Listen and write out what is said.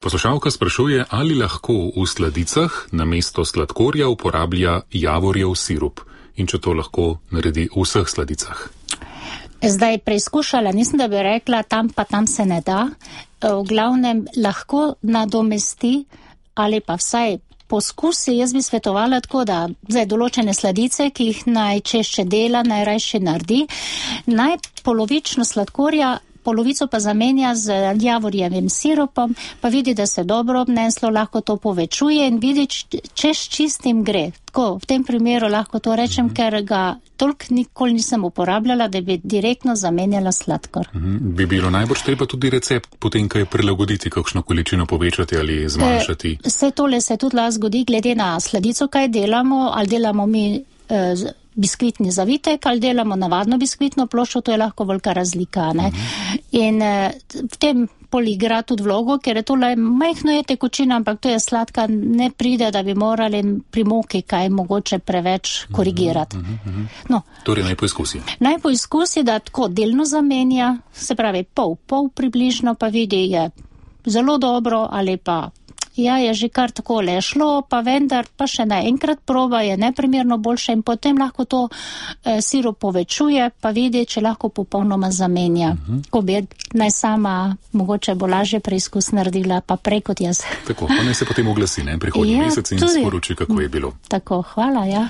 Poslušalka sprašuje, ali lahko v sladicah namesto sladkorja uporablja javorjev sirup in če to lahko naredi v vseh sladicah. Zdaj preizkušala, nisem da bi rekla, tam se ne da. V glavnem lahko nadomesti ali pa vsaj poskusi. Jaz bi svetovala tako, da zdaj določene sladice, ki jih najčešće dela, najrajše naredi, naj polovično sladkorja, polovico pa zamenja z javorjevim sirupom, pa vidi, da se dobro obneslo, lahko to povečuje in vidi, če s čistim gre. Tako, v tem primeru lahko to rečem, ker ga toliko nikoli nisem uporabljala, da bi direktno zamenjala sladkor. Bi bilo najbolj treba tudi recept potem, kaj prilagoditi, kakšno količino povečati ali zmanjšati? Vse tole se tudi lahko zgodi, glede na sladico, kaj delamo, ali delamo mi biskvitni zavitek, ali delamo navadno biskvitno ploščo, to je lahko velika razlika, ne? In v tem igra tudi vlogo, ker je tole majhno je tekočina, ampak to je sladka, ne pride, da bi morali pri moki kaj mogoče preveč korigirati. No, torej naj poizkusi. Naj poizkusi, da tako delno zamenja, se pravi pol približno, pa vidi, je zelo dobro, ali pa ja, je že kar takole šlo, pa vendar pa še naenkrat proba, je neprimerno boljše in potem lahko to sirup povečuje, pa vidi, če lahko popolnoma zamenja. Ko bi naj sama mogoče bo lažje preizkus naredila, pa prej kot jaz. Tako, pa naj se potem oglasi, ne, prihodnji mesec in sporoči, kako je bilo. Tako, hvala, ja.